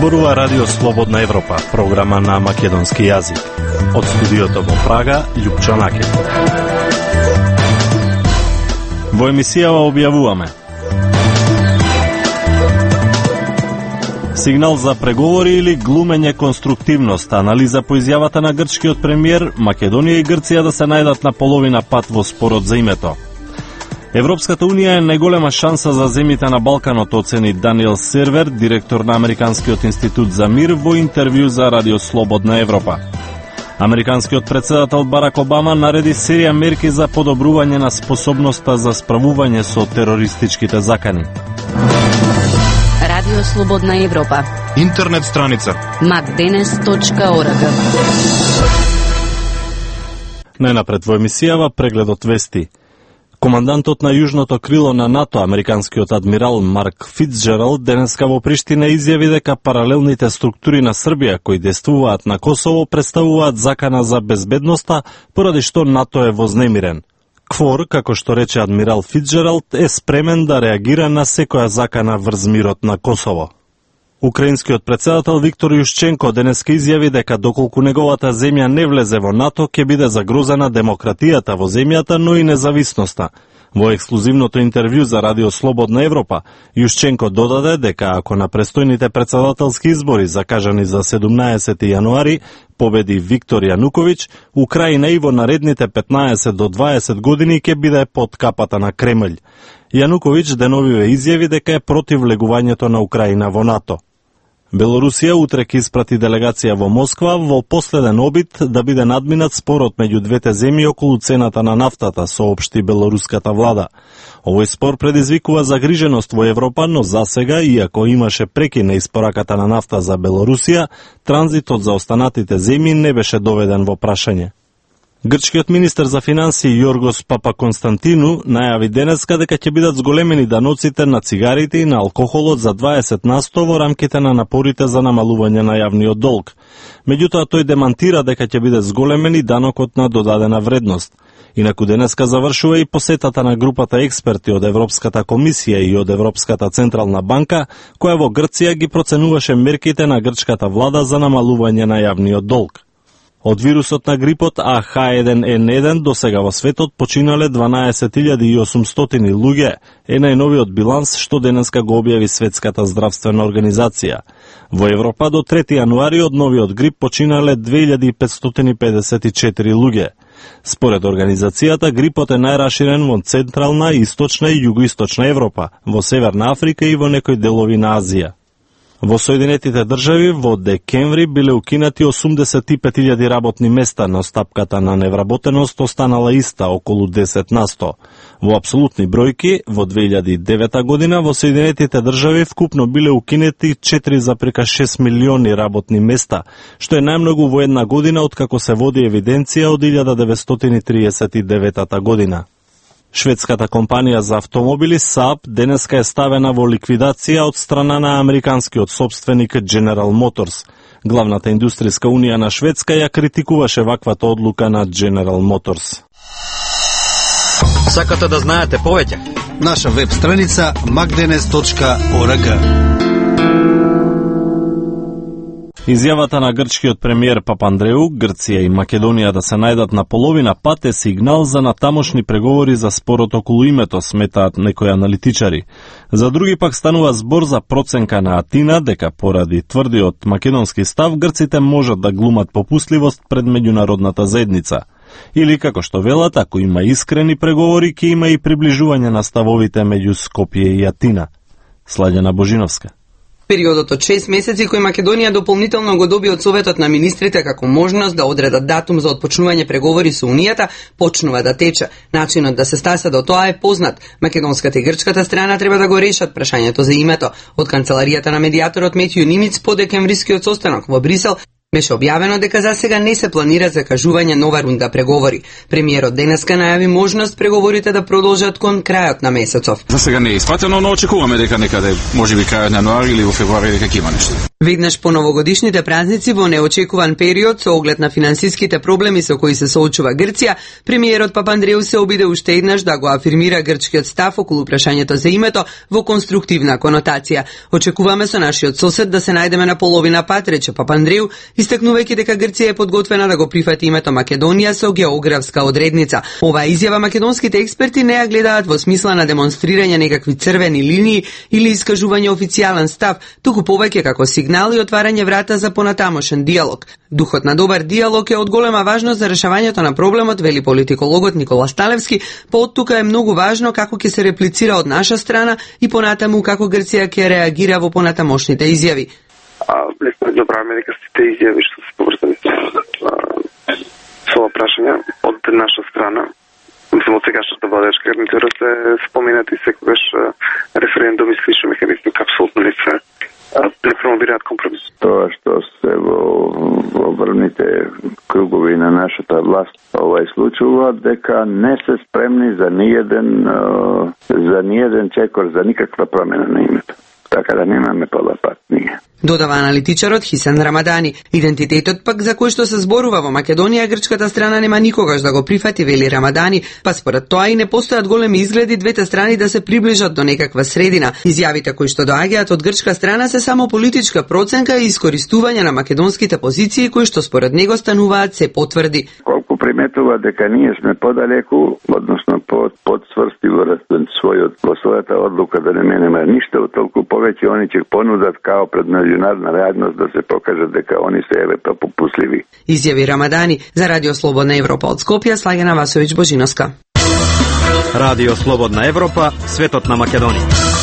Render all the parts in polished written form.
зборува Радио Слободна Европа, програма на македонски јазик. Од студиото во Прага, Љупчо Накев. Во емисијава објавуваме: сигнал за преговори или глумење конструктивност, анализа по изјавата на грчкиот премиер, Македонија и Грција да се најдат на половина пат во спорот за името. Европската Унија е најголема шанса за земјите на Балканот, оцени Даниел Сервер, директор на Американскиот институт за мир, во интервју за Радио Слободна Европа. Американскиот претседател Барак Обама нареди серија мерки за подобрување на способноста за справување со терористичките закани. Радио Слободна Европа. Интернет страница macdenes.org. Најнапред во емисијава прегледот вести. Командантот на јужното крило на НАТО, американскиот адмирал Марк Фицджералд, денеска во Приштина изјави дека паралелните структури на Србија кои действуваат на Косово представуваат закана за безбедноста, поради што НАТО е вознемирен. КФОР, како што рече адмирал Фицджералд, е спремен да реагира на секоја закана врз мирот на Косово. Украинскиот претседател Виктор Јушченко денеска изјави дека доколку неговата земја не влезе во НАТО, ќе биде загрозена демократијата во земјата, но и независноста. Во ексклузивното интервју за Радио Слободна Европа, Јушченко додаде дека ако на престојните претседателски избори закажани за 17 јануари победи Виктор Јануковиќ, Украина и во наредните 15 до 20 години ќе биде под капата на Кремљ. Јануковиќ деновиве изјави дека е против влегувањето на Украина во НАТО. Белорусија утре ќе испрати делегација во Москва во последен обид да биде надминат спорот меѓу двете земји околу цената на нафтата, соопшти белоруската влада. Овој спор предизвикува загриженост во Европа, но засега, иако имаше прекин на испораката на нафта за Белорусија, транзитот за останатите земји не беше доведен во прашање. Грчкиот министер за финансии Јоргос Папаконстантину најави денеска дека ќе бидат зголемени даноците на цигарите и на алкохолот за 20% во рамките на напорите за намалување на јавниот долг. Меѓутоа тој демантира дека ќе биде зголемени данокот на додадена вредност. Инаку денеска завршува и посетата на групата експерти од Европската комисија и од Европската централна банка, која во Грција ги проценуваше мерките на грчката влада за намалување на јавниот долг. Од вирусот на грипот AH1N1 до сега во светот починале 12.800 луѓе, е најновиот биланс што денеска го објави Светската здравствена организација. Во Европа до 3 јануари од новиот грип починале 2554 луѓе. Според организацијата, грипот е најраширен во Централна, Источна и Југоисточна Европа, во Северна Африка и во некои делови на Азија. Во Соединетите држави во декември биле укинати 85.000 работни места, но стапката на невработеност останала иста, околу 10%. Во апсолутни бројки, во 2009 година во Соединетите држави вкупно биле укинати 4,6 милиони работни места, што е најмногу во една година откако се води евиденција од 1939 година. Шведската компанија за автомобили Saab денеска е ставена во ликвидација од страна на американскиот собственик General Motors. Главната индустријска унија на Шведска ја критикуваше ваквата одлука на General Motors. Сакате да знаете повеќе? Наша веб страница macdenes.org. Изјавата на грчкиот премиер Папандреу, Грција и Македонија да се најдат на половина пат е сигнал за натамошни преговори за спорот околу името, сметаат некои аналитичари. За други пак станува збор за проценка на Атина дека поради тврдиот македонски став грците можат да глумат попустливост пред меѓународната заедница. Или како што велат, ако има искрени преговори, ќе има и приближување на ставовите меѓу Скопје и Атина. Слаѓана Божиновска. Периодот од 6 месеци кој Македонија дополнително го доби од Советот на министрите како можност да одредат датум за отпочнување преговори со Унијата, почнува да тече. Начинот да се стаса до тоа е познат. Македонската и грчката страна треба да го решат прашањето за името. Од канцеларијата на медијаторот Метју Нимиц по декемврискиот состанок во Брисел, Беше објавено дека за сега не се планира закажување нова рунда преговори. Премиерот денеска најави можност преговорите да продолжат кон крајот на месецов. За сега не е испратено, но очекуваме дека некаде можеби крајот на јануари или во февруари дека ќе има нешто. Веднаш по новогодишните празници во неочекуван период со оглед на финансиските проблеми со кои се соочува Грција, премиерот Папандреу се обиде уште еднаш да го афирмира грчкиот став околу прашањето за името во конструктивна конотација. Очекуваме со нашиот сосед да се најдеме на половина пат, рече Папандреу, истакнувајќи дека Грција е подготвена да го прифати името Македонија со географска одредница. Оваа изјава македонските експерти не ја гледаат во смисла на демонстрирање некакви црвени линии или искажување официјален став, туку повеќе како сигнал и отварање врата за понатамошен диалог. Духот на добар диалог е од голема важност за решавањето на проблемот, вели политикологот Никола Сталевски, па од тука е многу важно како ќе се реплицира од наша страна и понатаму како Грција ќе реагира во понатамошните изјави. Лесно да правиме дека сите изјави што се поврзани со ова прашање од наша страна, мислам од сегашната владеачка гарнитура се споменати секогаш референдум и слични механизми како апсолутно не се промовираат компромис. Тоа што се во врвните кругови на нашата власт случува дека не се спремни за ниеден чекор, за никаква промена на името. Така да немаме полапат ние. Додава аналитичарот Хисен Рамадани. Идентитетот пак за кој што се зборува во Македонија, грчката страна нема никогаш да го прифати, вели Рамадани, па според тоа и не постојат големи изгледи двете страни да се приближат до некаква средина. Изјавите кои што доаѓаат од грчка страна се само политичка проценка и искористување на македонските позиции кои што според него стануваат се потврди. Колку приметува дека ние сме подалеку, односно подсврсти во својата одлука да не менеме ништо, толку повеќе они ќе понудат као пред меѓународна реалност да се покажат дека они се попусливи. Изјави Рамадани за Радио Слободна Европа од Скопје, Слагена Васовиќ Божиновска. Радио Слободна Европа, светот на Македонија.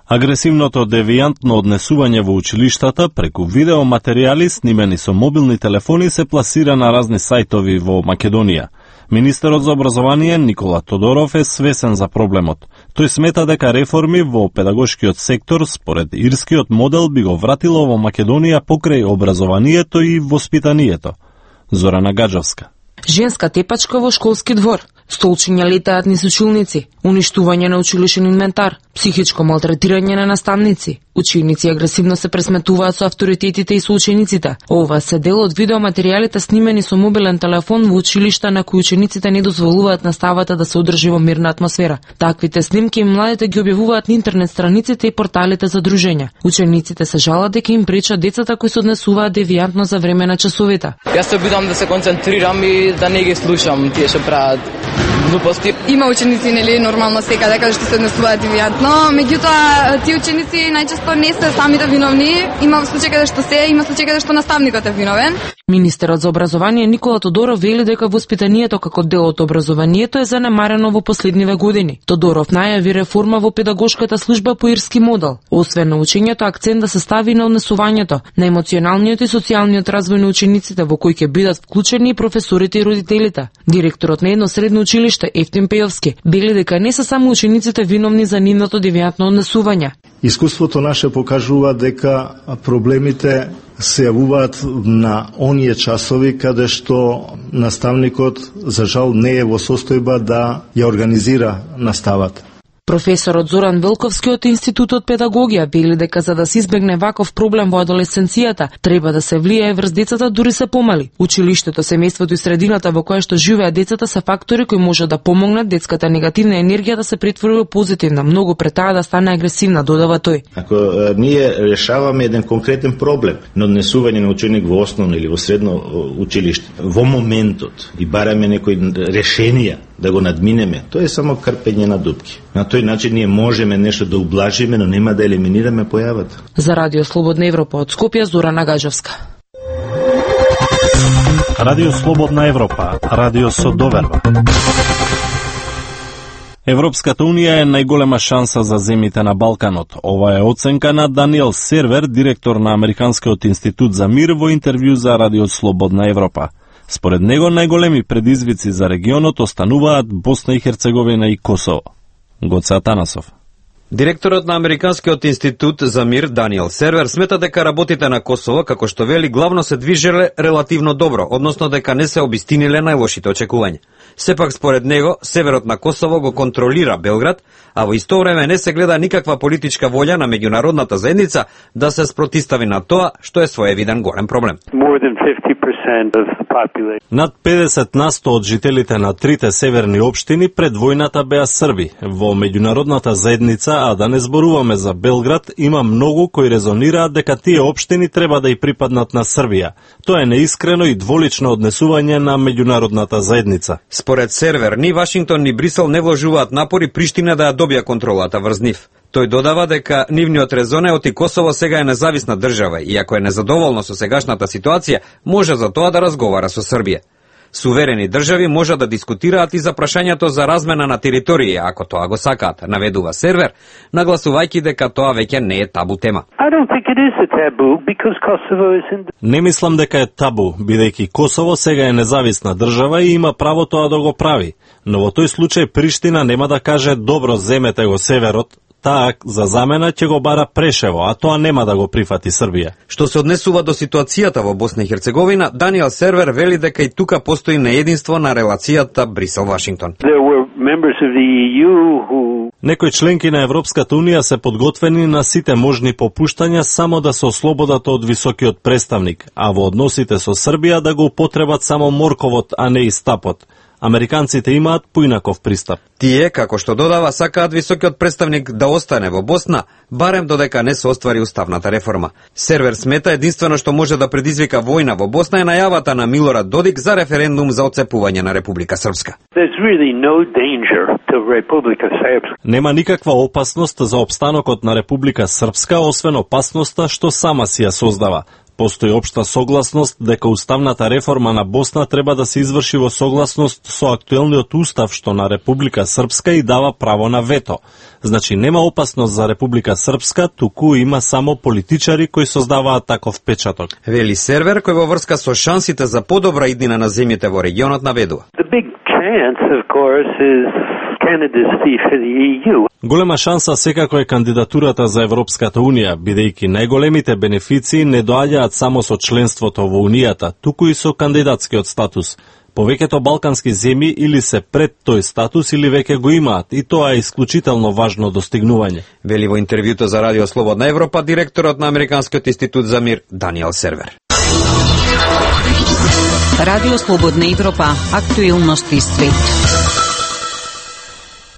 Агресивното девијантно однесување во училиштата преку видеоматеријали снимени со мобилни телефони се пласира на разни сајтови во Македонија. Министерот за образование Никола Тодоров е свесен за проблемот. Тој смета дека реформи во педагошкиот сектор според ирскиот модел би го вратило во Македонија покрај образованието и воспитанието. Зорана Гаджовска. Женска тепачка во школски двор, столчиња летаат низ училници, уништување на училишен инвентар, психичко малтретирање на наставници. Ученици агресивно се пресметуваат со авторитетите и со учениците. Ова се дел од видеоматеријалите снимени со мобилен телефон во училишта на кои учениците не дозволуваат наставата да се одржи во мирна атмосфера. Таквите снимки младите ги објавуваат на интернет страниците и порталите за дружења. Учениците се жалат дека им пречат децата кои се однесуваат девијантно за време на часовите. Јас се обидам да се концентрирам и да не ги слушам тие што прават глупости. Има ученици нели нормално секаде каде што се однесуваат девијантно, меѓутоа тие ученици најчесто не се самите виновни. Има случаи каде што се, има случаи каде што наставникот е виновен. Министерот за образование Никола Тодоров вели дека воспитанието како дел од образованието е занемарено во последниве години. Тодоров најави реформа во педагошката служба по ирски модел. Освен на учењето, акцент да се стави на однесувањето, на емоционалниот и социјалниот развој на учениците, во кој ќе бидат вклучени и професорите и родителите. Директорот на едно средно училиште Ефтим Пејовски вели дека не се само учениците виновни за нивното девијантно однесување. Искуството наше покажува дека проблемите се јавуваат на оние часови каде што наставникот за жал не е во состојба да ја организира наставата. Професорот Зоран Велковски од Институтот педагогија вели дека за да се избегне ваков проблем во адолесценцијата, треба да се влијае врз децата дури се помали. Училиштето, семејството и средината во која што живеат децата се фактори кои може да помогнат детската негативна енергија да се претвори во позитивна, многу пред таа да стане агресивна, додава тој. Ако ние решаваме еден конкретен проблем на однесување на ученик во основно или во средно училиште, во моментот и бараме некои решенија да го надминеме, тоа е само крпење на дупки. На тој начин ние можеме нешто да ублажиме, но нема да елиминираме појавата. За Радио Слободна Европа од Скопје, Зорана Гаджовска. Радио Слободна Европа, радио со доверба. Европската унија е најголема шанса за земјите на Балканот. Ова е оценка на Даниел Сервер, директор на Американскиот институт за мир, во интервју за Радио Слободна Европа. Според него, најголеми предизвици за регионот остануваат Босна и Херцеговина и Косово. Гоце Атанасов. Директорот на Американскиот институт за мир Даниел Сервер смета дека работите на Косово, како што вели, главно се движеле релативно добро, односно дека не се обистиниле најлошите очекувања. Сепак според него, северот на Косово го контролира Белград, а во исто време не се гледа никаква политичка волја на меѓународната заедница да се спротистави на тоа, што е своевиден голем проблем. Над 50% од жителите на трите северни општини пред војната беа Срби. Во меѓународната заедница, а да не зборуваме за Белград, има многу кои резонираат дека тие општини треба да и припаднат на Србија. Тоа е неискрено и дволично однесување на меѓународната заедница. Според Сервер, ни Вашингтон ни Брисел не вложуваат напори Приштина да ја добија контролата врз нив. Тој додава дека нивниот резон е оти Косово сега е независна држава и ако е незадоволно со сегашната ситуација, може за тоа да разговара со Србија. Суверени држави може да дискутираат и за прашањето за размена на територија, ако тоа го сакаат, наведува Сервер, нагласувајќи дека тоа веќе не е табу тема. Не мислам дека е табу, бидејќи Косово сега е независна држава и има право тоа да го прави. Но во тој случај Приштина нема да каже добро земете го северот, таа за замена ќе го бара Прешево, а тоа нема да го прифати Србија. Што се однесува до ситуацијата во Босна и Херцеговина, Даниел Сервер вели дека и тука постои неединство на релацијата Брисел-Вашингтон. Некои членки на Европската Унија се подготвени на сите можни попуштања само да се ослободат од високиот представник, а во односите со Србија да го употребат само морковот, а не и стапот. Американците имаат поинаков пристап. Тие, како што додава, сакаат високиот представник да остане во Босна, барем додека не се оствари уставната реформа. Сервер смета единствено што може да предизвика војна во Босна е најавата на Милорад Додик за референдум за отцепување на Република Српска. Нема никаква опасност за опстанокот на Република Српска, освен опасноста што сама си ја создава. Постои општа согласност дека уставната реформа на Босна треба да се изврши во согласност со актуелниот устав што на Република Српска и дава право на вето. Значи нема опасност за Република Српска, туку има само политичари кои создаваат таков печаток. Вели Сервер, кој во врска со шансите за подобра иднина на земјите во регионот наведува. Голема шанса секако е кандидатурата за Европската Унија, бидејќи најголемите бенефиции не доаѓаат само со членството во Унијата, туку и со кандидатскиот статус. Повеќето балкански земји или се пред тој статус или веќе го имаат, и тоа е исклучително важно достигнување. Вели во интервјуто за Радио Слободна Европа директорот на Американскиот институт за мир Даниел Сервер. Радио Слободна Европа, актуелности свет.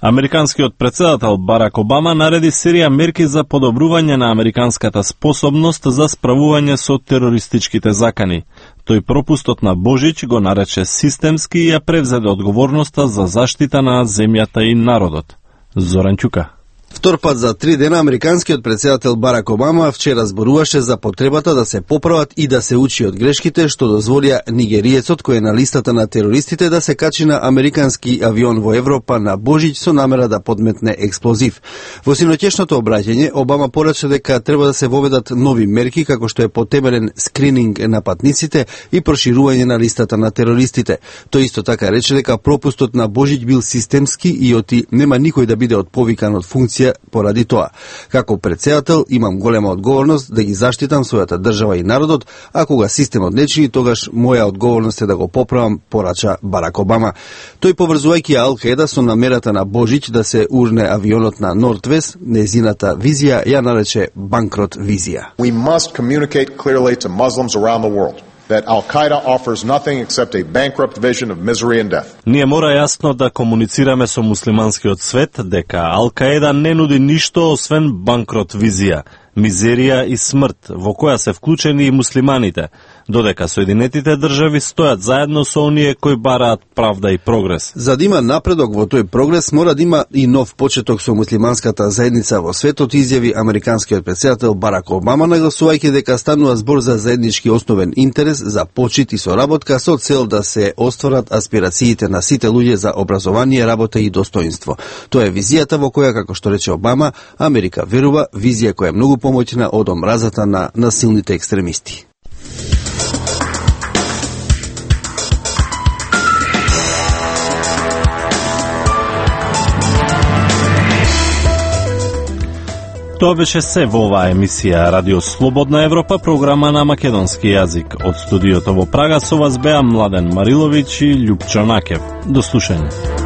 Американскиот претседател Барак Обама нареди серија мерки за подобрување на американската способност за справување со терористичките закани. Тој пропустот на Божич го нарече системски и ја превзеде одговорноста за заштита на земјата и народот. Зоран Ќука. Втор пат за 3 дена американскиот претседател Барак Обама вчера зборуваше за потребата да се поправат и да се учи од грешките што дозволија нигериецот кој е на листата на терористите да се качи на американски авион во Европа на Божич со намера да подметне експлозив. Во синоќешното обраќање Обама порача дека треба да се воведат нови мерки како што е потемелен скрининг на патниците и проширување на листата на терористите. Тој исто така рече дека пропустот на Божич бил системски и оти нема никој да биде отповикан од функција поради тоа. Како претседател имам голема одговорност да ги заштитам својата држава и народот, а кога системот не чини, тогаш моја одговорност е да го поправам, порача Барак Обама. Тој поврзувајќи Ал-Каеда со намерата на Божич да се урне авионот на Нортвест, незината визија ја нарече банкрот визија. We must communicate clearly to Muslims around the world that Al-Qaeda offers nothing except a bankrupt vision of misery and death. Ние мора јасно да комуницираме со муслиманскиот свет дека Ал-Каеда не нуди ништо освен банкрот визија, мизерија и смрт, во која се вклучени и муслиманите, додека Соединетите држави стојат заедно со оние кои бараат правда и прогрес. За да има напредок во тој прогрес, мора да има и нов почеток со муслиманската заедница во светот, изјави американскиот претседател Барак Обама, нагласувајќи дека станува збор за заеднички основен интерес за почит и соработка со цел да се остварат аспирациите на сите луѓе за образование, работа и достоинство. Тоа е визијата во која, како што рече Обама, Америка верува, визија која е многу помоќна од омразата на насилните екстремисти. Тоа беше се во оваа емисија Радио Слободна Европа, програма на македонски јазик. Од студиото во Прага со вас беа Младен Мариловиќ и Љупчо Накев. До слушање.